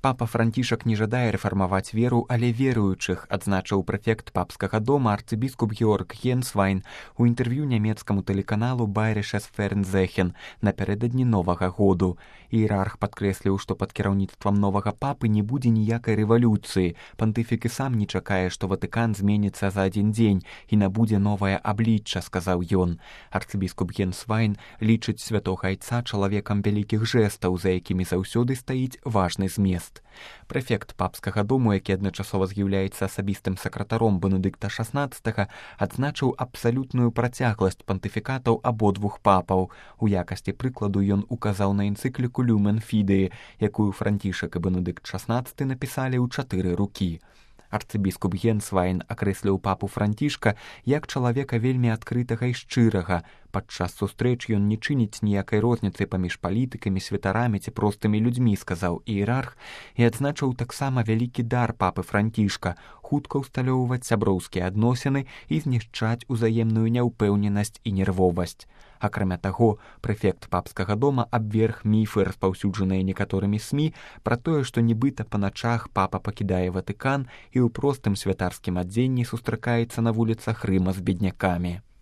Папа Францішак не жадае рэфармаваць веру, але веруючых, адзначыў прэфект папскага дома арцыбіскуп Георг Генсвайн у інтэрв'ю нямецкаму тэлеканалу Bayerisches Fernsehen напярэдадні Новага году. Іерарх падкрэсліў, што пад кіраўніцтвам новага папы не будзе ніякай рэвалюцыі. Пантыфік і сам не чакае, што Ватыкан зменіцца за адзін дзень і набудзе новае аблічча, сказаў ён. Арцыбіскуп Генсвайн лічыць святога айца чалавекам вялікіх жэстаў, за якімі заўсёды стаіць важны змест. Прэфект папскага дому, які адначасова з'яўляецца асабістым сакратаром Бенедыкта XVI, адзначыў абсалютную працягласць пантыфікатаў абодвух папаў. У якасці прыкладу ён указаў на энцыкліку Люмен Фідеі, якую Францішак і Бенедыкт XVI напісалі ў 4 рукі. Арцыбіскуп Генсвайн акрэсліў папу Францішка як чалавека вельмі адкрытага і шчырага. Падчас сустрэч ён не чыніць ніякай розніцы паміж палітыкамі, святарамі ці простымі людзьмі, сказаў іерарх, і адзначыў таксама вялікі дар папы Францішка хутка ўсталёўваць сяброўскія адносіны і знішчаць узаемную няўпэўненасць і нервовасць. Акрамя таго, прэфект папскага дома абверг міфы, распаўсюджаныя некаторымі СМІ, пра тое, што нібыта па начах папа пакідае Ватыкан і ў простым святарскім адзенні сустракаецца на вуліцах Рыма з беднякамі.